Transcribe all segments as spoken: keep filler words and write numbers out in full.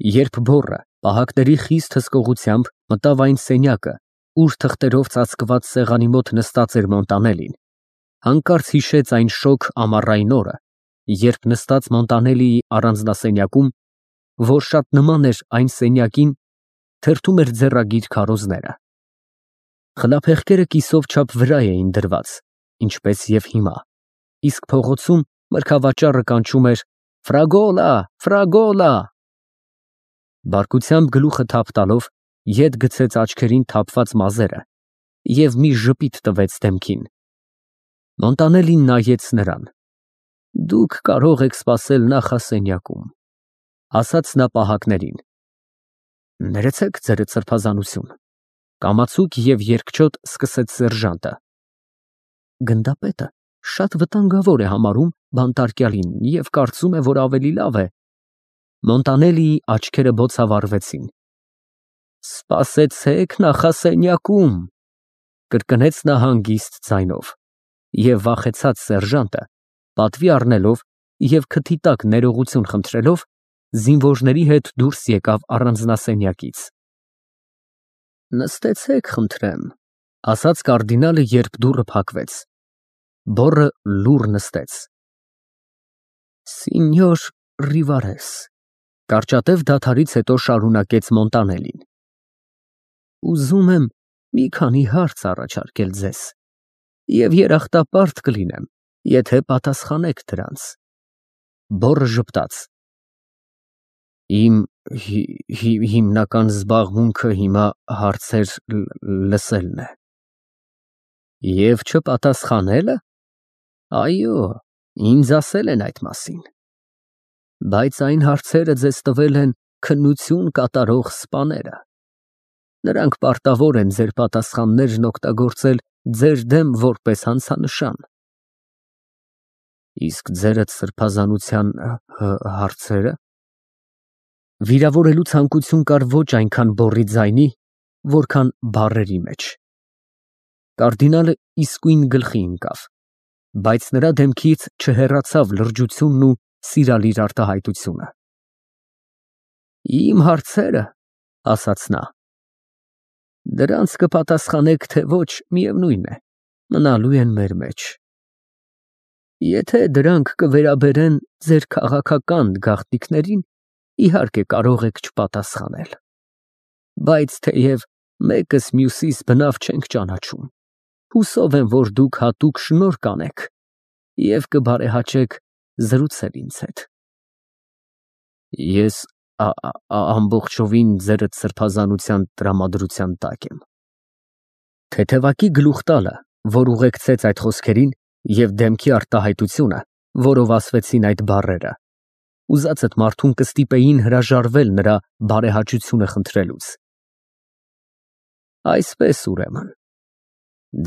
Երբ բոռը պահակների խիստ հսկողությամբ մտավ այն սենյակը, ուր թղթերով ծածկված սեղանի մոտ նստած էր Մոնտանելին, հանկարծ հիշեց այն շոգ ամառային օրը, երբ նստած Մոնտանելիի առանձնասենյակում, որ շատ նման էր այն սենյակին, թերթում էր ձեռագիր քարոզները։ Խլափեղկերը կիսով չափ վրա էին դրված, ինչպես և հիմա, իսկ փողոցում մրգավաճառը կանչում էր «Ֆրագոլա, ֆրագոլա»։ Բարկությամբ գլուխը թափ տալով, ետ գցեց աչքերին թափված մազերը և մի ժպիտ տվեց դեմքին։ Մոնտանելին նայեց նրան։ «Դուք կարող եք սպասել նախասենյակում», ասաց նա պահակներին։ «Ներեցեք, ձերդ սրբազանություն», կամացուկ և երկչոտ սկսեց սերժանտը։ «Գնդապետը շատ վտանգավոր է համարում բանտարկյալին և կարծում է, որ ավելի լավ է…»։ Մոնտանելիի աչքերը բոցավառվեցին։ «Սպասեցեք նախասենյակում», կրկնեց նա հանգիստ ձայնով, և վախեցած սերժանտը, պատվի առնելով և քթի տակ ներողություն խնդրելով, զինվորների հետ դուրս եկավ առանձնասենյակից։ «Նստեցեք, խնդրեմ», ասաց կարդինալը, երբ դուռը փակվեց։ Բոռը լուռ նստեց։ «Սինյոր Ռիվարես», կարճատև դադարից հետո շարունակեց Մոնտանելին, «ուզում եմ մի քանի հարց առաջարկել ձեզ և երախտապարտ կլինեմ, եթե պատասխանեք դրանց»։ Բոռը ժպտաց։ «Իմ հիմնական զբաղմունքը հիմա հարցեր լսելն է»։ «Եվ չպատասխանելը։ Այո, ինձ ասել են այդ մասին։ Բայց այն հարցերը ձեզ տվել են քննություն կատարող սպաները։ Նրանք պարտավոր են ձեր պատասխաններն օգտագործել ձեր դեմ որպես հանցանշան»։ «Իսկ ձերդ սրբազանության հարցե՞րը»։ Վիրավորելու ցանկություն կար ոչ այնքան բոռի ձայնի, որքան բառերի մեջ։ Կարդինալը իսկույն գլխի ընկավ, բայց նրա դեմքից չհեռացավ լրջությունն ու սիրալիր արտահայտությունը։ «Իմ հարցերը», ասաց նա, «դրանց կպատասխանեք, թե ոչ, միևնույն է, մնալու են մեր մեջ։ Եթե դրանք կվերաբերեն ձեր քաղաքական գաղտնիքներին, իհարկե կարող եք չպատասխանել։ Բայց թեև մեկս մյուսիս բնավ չենք ճանաչում, հուսով եմ, որ դուք հատուկ շնորհ կանեք և կբարեհաճեք զրուցել ինձ հետ»։ «Ես ամբողջովին ձերդ սրբազանության տրամադրության տակ եմ»։ Թեթևակի գլուխ տալը, որ ուղեկցեց այդ խոսքերին, և դեմքի արտահայտությունը, որով ասվեցին այդ բառերը, ուզածդ մարդուն կստիպեին հրաժարվել նրա բարեհաճությունը խնդրելուց։ «Այսպես, ուրեմն,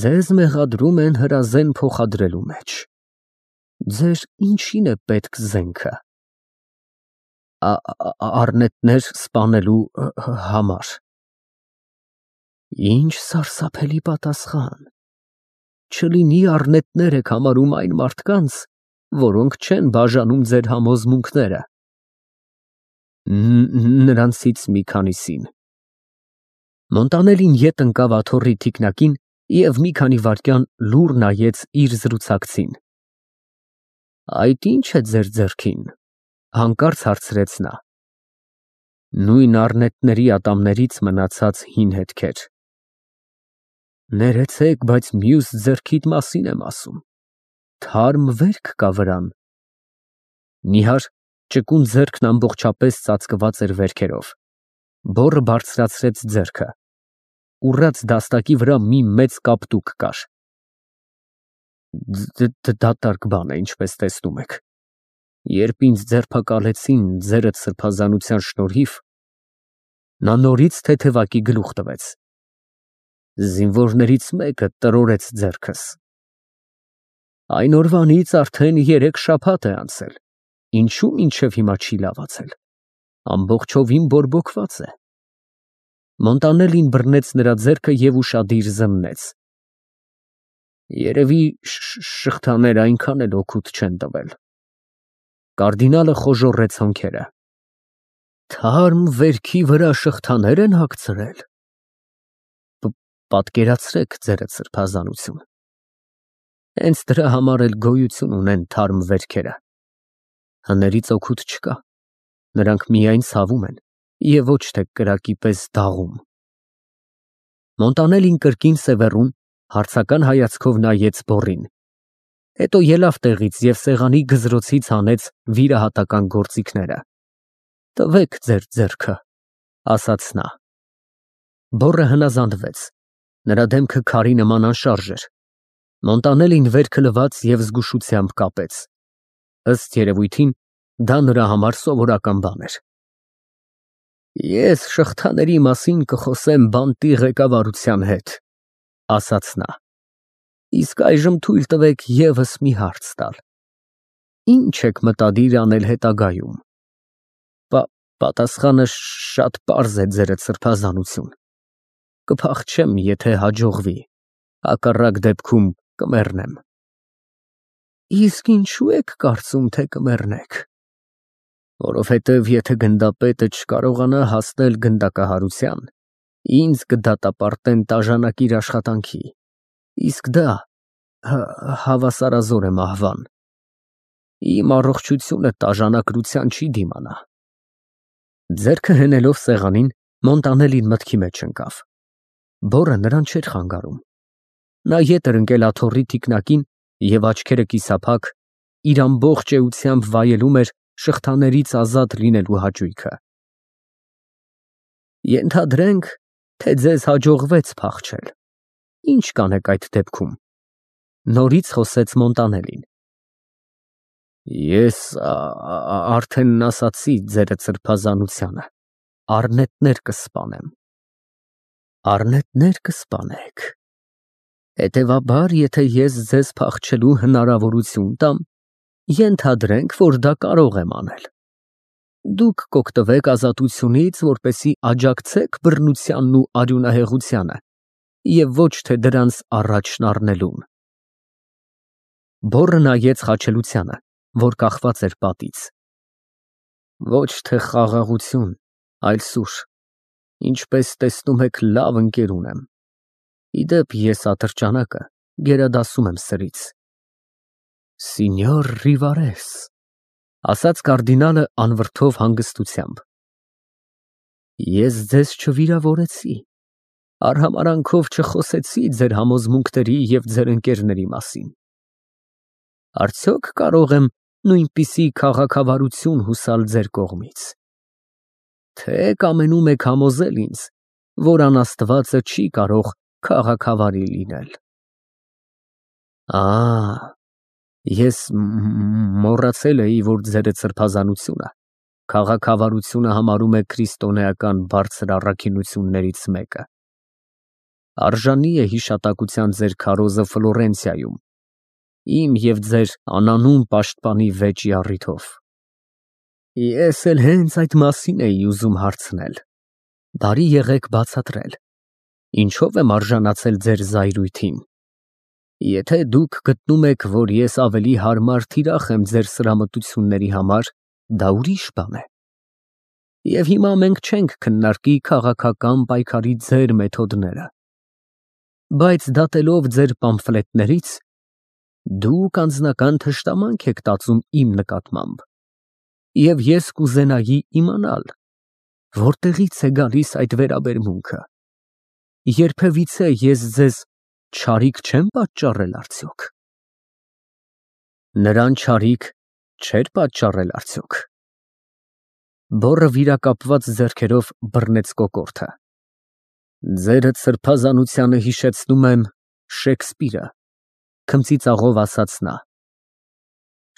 ձեզ մեղադրում են հրազեն փոխադրելու մեջ։ Ձեր ինչի՞ն է պետք զենքը։ Առնետներ սպանելու համար։ Ինչ սարսափելի պատասխան։ Չլինի առնետներ եք համարում այն մարդկանց, որոնք չեն բաժանում ձեր համոզմունքները։ Նրանցից մի քանիսին։ Մոնտանելին ետ ընկավ աթոռի թիկնակին և մի քանի վայրկյան լուռ նայեց իր զրուցակցին։ «Այդ ի՞նչ է ձեր ձեռքին», հանկարծ հարցրեց նա։ «Նույն առնետների ատամներից մնացած հին հետքեր»։ «Ներեցեք, բայց մյուս ձեռքիդ մասին եմ ասում, թարմ վերք կա վրան»։ Նիհար, ճկուն ձեռքն ամբողջապես ծածկված էր վերքերով։ Բոռը բարձրացրեց ձեռքը։ Ուռած դաստակի վրա մի մեծ կապտուկ կար։ Դատարկ բան է, ինչպես տեսնում եք։ Երբ ինձ ձերբակալեցին ձերդ սրբազանության շնորհիվ, նա նորից թեթևակի գլուխ տվեց, զինվորներից մեկը տրորեց ձեռքս։ Այն օրվանից արդեն երեք շաբաթ է անցել, ինչու մինչև հիմա չի լավացել, ամբողջովին բորբոքված է։ Մոնտանելին բռնեց նրա ձեռքը և ուշադիր զննեց։ Երևի շղթաները այնքան էլ օգուտ չեն տվել։ Կարդինալը խոժոռեց հոնքերը։ Թարմ վերքի վրա շղթաներ են հագցրել։ Պատկերացրեք ձերդ սրբազանություն։ Հենց դրա համար էլ գոյություն ունեն թարմ վերքերը։ Հներից օգուտ չկա, նրանք միայն ցավում են և ոչ թե կրակի պես դաղում։ Մոնտանելին կրկին սևեռուն հարցական հայացքով նայեց բոռին, հետո ելավ տեղից և սեղանի գզրոցից հանեց վիրահատական գործիքները։ Տվեք ձեր ձեռքը, ասաց նա։ Բոռը հնազանդվեց, նրա դեմքը քարի նման անշարժ էր։ Մոնտանելին վերքը լվաց և զգուշությամբ կապեց։ Ըստ երևույթին, դա նրա համար սովորական բան էր։ Ես շղթաների մասին կխոսեմ բանտի ղեկավարության հետ, ասաց նա։ Իսկ այժմ թույլ տվեք ևս մի հարց տալ։ Ինչ եք մտադիր անել հետագայում։ Պատասխանը շատ պարզ է, ձերդ սրբազանություն։ Կփախչեմ, եթե հաջողվի, հակառակ դեպքում կմեռնեմ։ Իսկ ինչու եք կարծում, թե կմեռնեք։ Որովհետև եթե գնդապետը չկարողանա հասնել գնդակահարության, ինձ կդատապարտեն տաժանակիր աշխատանքի, իսկ դա հավասարազոր է մահվան։ Իմ առողջությունը տաժանակրության չի դիմանա։ Ձեռքը հենելով սեղանին, Մոնտանելին մտքի մեջ ընկավ։ Բոռը նրան չէր խանգարում։ Նա ետ էր ընկել աթոռի թիկնակին և աչքերը կիսափակ, իր ամբողջ էությամբ վայելում էր շղթաներից ազատ լինելու հաճույքը։ Ենթադրենք, թե ձեզ հաջողվեց փախչել, ինչ կանեք այդ դեպքում։ Նորից խոսեց Մոնտանելին։ Ես արդեն ասացի ձերդ սրբազանությանը, առնետներ կսպանեմ։ Առնետներ կսպանեք։ Հետևաբար, եթե ես ձեզ փախչելու հնարավորություն տամ, ենթադրենք, որ դա կարող եմ անել։ Դուք կօգտվեք ազատությունից, որպեսզի աջակցեք բռնությանն ու արյունահեղությանը, և ոչ թե դրանց առաջն առնելուն։ Բոռը նայեց խաչելությանը, որ կախված էր պատից։ Ոչ թե խաղաղություն, այլ սուր, ինչպես տեսնում եք, լավ ընկեր ունեմ։ Ի դեպ, ես ատրճանակը գերադասում եմ սրից։ Սինյոր Ռիվարես, ասաց կարդինալը անվրդով հանգստությամբ։ Ես ձեզ չվիրավորեցի, արհամարհանքով չխոսեցի ձեր համոզմունքների և ձեր ընկերների մասին։ Արդյոք կարող եմ նույնպիսի քաղաքավարություն հուսալ ձեր կողմից։ Թե կամենում եք համոզել ինձ, որ անաստվածը չի կարող քաղաքավարի լինել։ Ա, ես մոռացել էի, որ ձերդ սրբազանությունը քաղաքավարությունը համարում է քրիստոնեական բարձր առաքինություններից մեկը։ Արժանի է հիշատակության ձեր քարոզը Ֆլորենցիայում, իմ և ձեր անանուն պաշտպանի վեճի առիթով։ Ես էլ հենց այդ մասին էի ուզում հարցնել։ Բարի եղեք բացատրել, ինչով եմ արժանացել ձեր զայրույթին։ Եթե դուք գտնում եք, որ ես ավելի հարմար թիրախ եմ ձեր սրամտությունների համար, դա ուրիշ բան է։ Եվ հիմա մենք չենք քննարկի քաղաքական պայքարի ձեր մեթոդները։ Բայց դատելով ձեր պամֆլետներից, դուք անձնական թշնամանք եք տածում իմ նկատմամբ, և ես կուզենայի իմանալ, որտեղից է գալիս այդ վերաբերմունքը։ Երբևիցե ես ձեզ չարիք չեմ պատճառել արդյոք։ Նրան չարիք չէր պատճառել արդյոք։ Բոռը վիրակապված ձեռքերով բռնեց կոկորդը։ Ձերդ սրբազանությանը հիշեցնում եմ Շեքսպիրը, քմծիծաղով ասաց նա։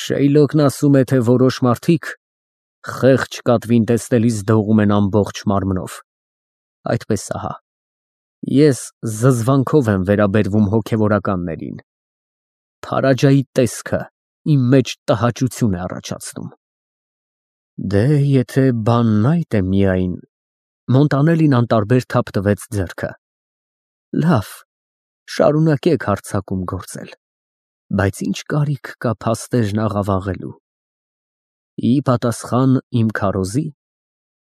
Շեյլոկն ասում է, թե որոշ մարդիկ խեղճ կատվին տեսնելիս դողում են ամբողջ մարմնով։ Այդպես ահա, ես զզվանքով եմ վերաբերվում հոգևորականներին։ Փարաջայի տեսքը իմ մեջ տհաճություն է առաջացնում։ Դե, եթե բանն այդ է միայն… Մոնտանելին անտարբեր թափ տվեց ձեռքը։ Լավ, շարունակեք հարձակում գործել, բայց ինչ կարիք կա փաստերն աղավաղելու։ Ի պատասխան իմ քարոզի,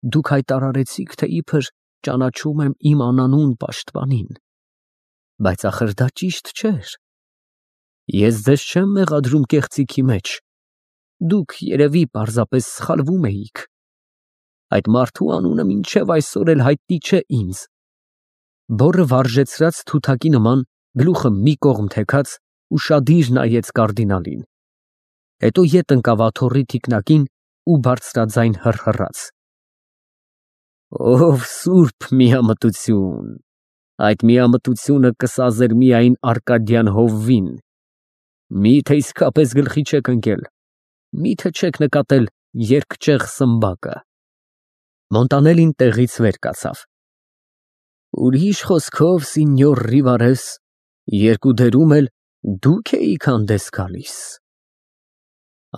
դուք հայտարարեցիք, թե իբր ճանաչում եմ իմ անանուն պաշտպանին, բայց ախր դա ճիշտ չէր։ Ես ձեզ չեմ մեղադրում կեղծիքի մեջ, դուք երևի պարզապես սխալվում էիք։ Այդ մարդու անունը մինչև այսօր էլ հայտնի չէ ինձ։ Բոռը վարժեցրած թութակի նման գլուխը մի կողմ թեքած ուշադիր նայեց կարդինալին, հետո ետ ընկավ աթոռի թիկնակին ու բարձրաձայն հռհռաց. Ով սուրբ միամտություն, այդ միամտությունը կսազեր միայն Արկադյան հովվին, միթե իսկապես գլխի չեք ընկել, միթե չեք նկատել երկճեղ սմբակը։ Մոնտանելին տեղից վեր կացավ։ Ուրիշ խոսքով, սինյոր Ռիվարես, երկու դերում էլ դուք էիք հանդես գալիս։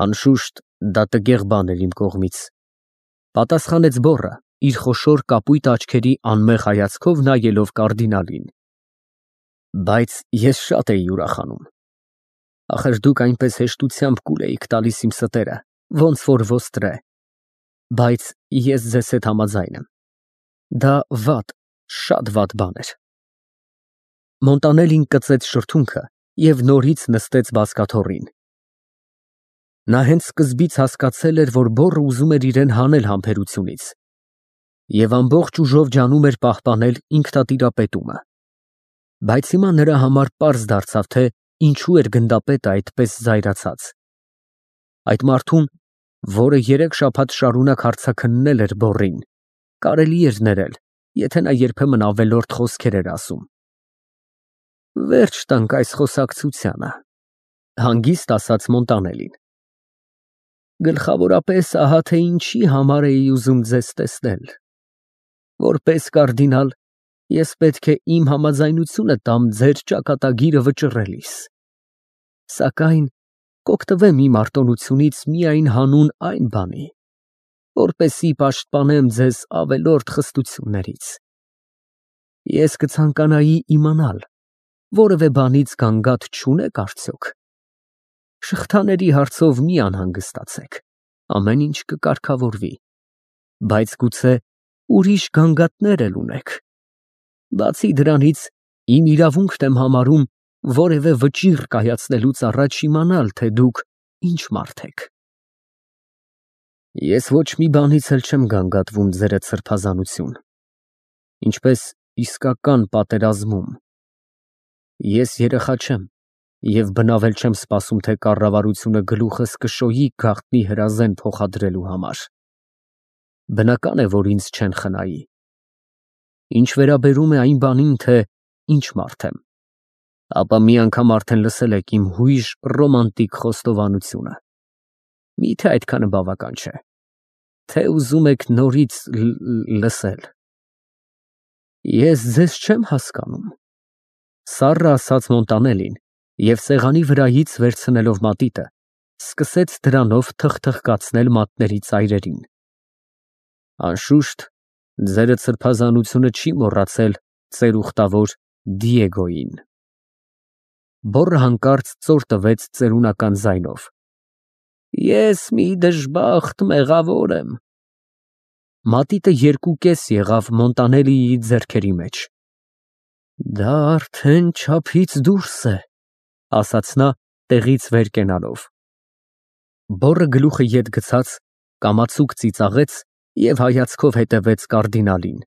Անշուշտ դա տգեղ բան էր իմ կողմից, պատասխանեց բոռը, իր խոշոր կապույտ աչքերի անմեղ հայացքով նայելով կարդինալին։ Բայց ես շատ էի ուրախանում։ Ախր դուք այնպես հեշտությամբ կուլ էիք տալիս իմ ստերը, ոնց որ ոստրե։ Բայց ես ձեզ հետ համաձայն եմ։ Դա վատ, շատ վատ բան էր։ Մոնտանելին կծեց շրթունքը և նորից նստեց բազկաթոռին։ Նա հենց սկզբից հասկացել էր, որ բոռը ուզում էր իրեն հանել համբերությունից և ամբողջ ուժով ջանում էր պահպանել ինքնատիրապետումը։ Բայց հիմա նրա համար պարզ դարձավ, թե ինչու էր գնդապետը այդպես զայրացած։ Այդ մարդուն, որը երեք շաբաթ շարունակ հարցաքննել էր բոռին, կարելի էր ներել, եթե նա երբեմն ավելորդ խոսքեր էր ասում։ Վերջ տանք այս խոսակցությանը, հանգիստ ասաց Մոնտանելին։ Գլխավորապես ահա թե ինչի համար էի ուզում ձեզ տեսնել։ Որպես կարդինալ, ես պետք է իմ համաձայնությունը տամ ձեր ճակատագիրը վճռելիս։ Սակայն կօգտվեմ իմ արտոնությունից միայն հանուն այն բանի, որպեսզի պաշտպանեմ ձեզ ավելորդ խստություններից։ Ես կցանկանայի իմանալ, որևէ բանից գանգատ չունեք արդյոք։ Շղթաների հարցով մի անհանգստացեք, ամեն ինչ կկարգավորվի, բայց գուցե ուրիշ գանգատներ էլ ունեք։ Բացի դրանից, իմ իրավունքն եմ համարում որևէ վճիռ կայացնելուց առաջ իմանալ, թե դուք ինչ մարդ եք։ Ես ոչ մի բանից էլ չեմ գանգատվում, ձերդ սրբազանություն, ինչպես իսկական պատերազմում։ Ես երեխա չեմ և բնավ էլ չեմ սպասում, թե կառավարությունը գլուխս կշոյի գաղտնի հրազեն փոխադրելու համար։ Բնական է, որ ինձ չեն խնայի։ Ինչ վերաբերում է այն բանին, թե ինչ մարդ եմ, ապա մի անգամ արդեն լսել եք իմ հույժ ռոմանտիկ խոստովանությունը։ Միթե այդքանը բավական չէ, թե ուզում եք նորից լսել։ Ես ձեզ չեմ հասկանում, սառը ասաց Մոնտանելին և սեղանի վրայից վերցնելով մատիտը, սկսեց դրանով թխթխկացնել մատների ծայրերին։ Անշուշտ, ձերդ սրբազանությունը չի մոռացել ծեր ուխտավոր Դիեգոյին։ Բոռը հանկարծ ծոր տվեց ծերունական ձայնով. Ես մի դժբախտ մեղավոր եմ։ Մատիտը երկու կես եղավ Մոնտանելիի ձեռքերի մեջ։ Դա արդեն չափից դուրս է, ասաց նա տեղից վեր կենալով։ Բոռը գլուխը ետ գցած, կամացուկ ծիծաղեց և հայացքով հետևեց կարդինալին,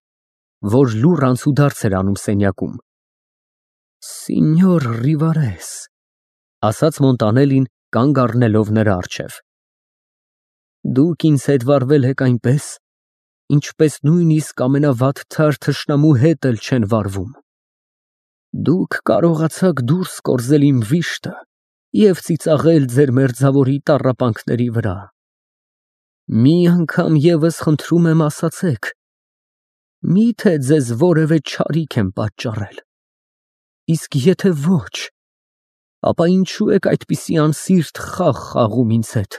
որ լուռ անցուդարձ էր անում սենյակում։ Սինյոր Ռիվարես, ասաց Մոնտանելին, կանգ առնելով նրա առջև։ Դուք ինձ հետ վարվել եք այնպես, ինչպես նույնիսկ ամենավատթար թշնամու հետ էլ չեն վարվում։ Դուք կարողացաք դուրս կորզել իմ վիշտը և ծիծաղել ձեր մերձավորի տառապանքների վրա։ Մի անգամ ևս խնդրում եմ ասացեք, միթե ձեզ որևէ չարիք եմ պատճառել։ Իսկ եթե ոչ, ապա ինչու եք այդպիսի անսիրտ խաղ խաղում ինձ հետ։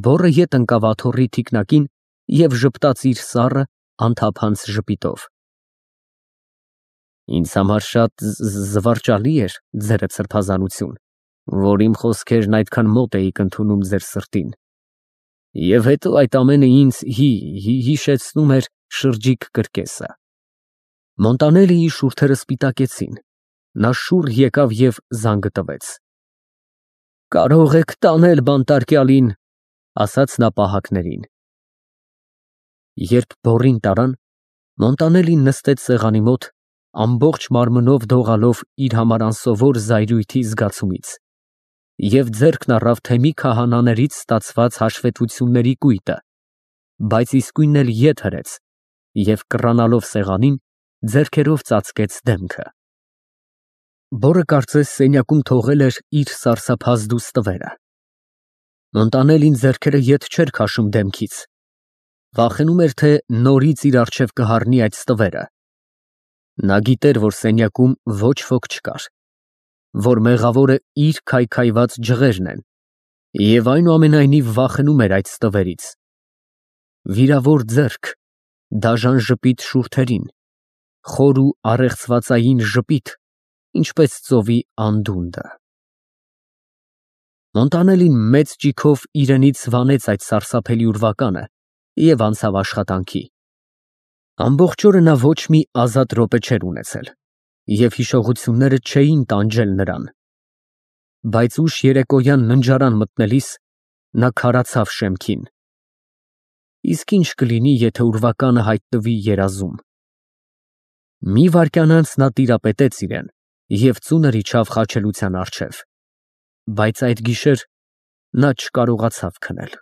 Բոռը ետ ընկավ աթոռի թիկնակին և ժպտաց իր սառը, անթափանց ժպիտով։ Ինձ համար շատ զվարճալի էր, ձերդ սրբազանություն, որ իմ խոսքերն այդքան մոտ էիք ընդունում ձեր սրտին։ Եվ հետո այդ ամենը ինձ հի, հի հիշեցնում էր շրջիկ կրկեսը։ Մոնտանելիի շուրթերը սպիտակեցին, նա շուռ եկավ և զանգը տվեց։ Կարող եք տանել բանտարկյալին, ասաց նա պահակներին։ Երբ բոռին տարան, Մոնտանելին նստեց սեղանի մոտ, ամբողջ մարմնով դողալով իր համար անսովոր զայրույթի զգացումից, և ձեռքն առավ թեմի քահանաներից ստացված հաշվետվությունների կույտը, բայց իսկույն էլ ետ հրեց և կռանալով սեղանին, ձեռքերով ծածկեց դեմքը։ Բոռը կարծես սենյակում թողել էր իր սարսափազդու ստվերը։ Մոնտանելին ձեռքերը ետ չէր քաշում դեմքից, վախենում էր, թե նորից իր առջև կհառնի այդ ստվերը։ Նա գիտեր, որ սենյակում ոչ ոք չկար, որ մեղավորը իր քայքայված ջղերն են, և այնուամենայնիվ վախենում էր այդ ստվերից։ Վիրավոր ձեռք, դաժան ժպիտ շուրթերին, խոր ու առեղծվածային ժպիտ, ինչպես ծովի անդունդը։ Մոնտանելին մեծ ճիգով իրենից վանեց այդ սարսափելի ուրվականը և անցավ աշխատանքի։ Ամբողջ օրը նա ոչ մի ազատ րոպե չէր ունեցել, և հիշողությունները չէին տանջել նրան, բայց ուշ երեկոյան ննջարան մտնելիս նա քարացավ շեմքին. իսկ ի՞նչ կլինի, եթե ուրվականը հայտնվի երազում։ Մի վայրկյան անց նա տիրապետեց իրան և ծունր իջավ խաչելության առջև, բայց այդ գիշեր նա չկարողացավ քնել։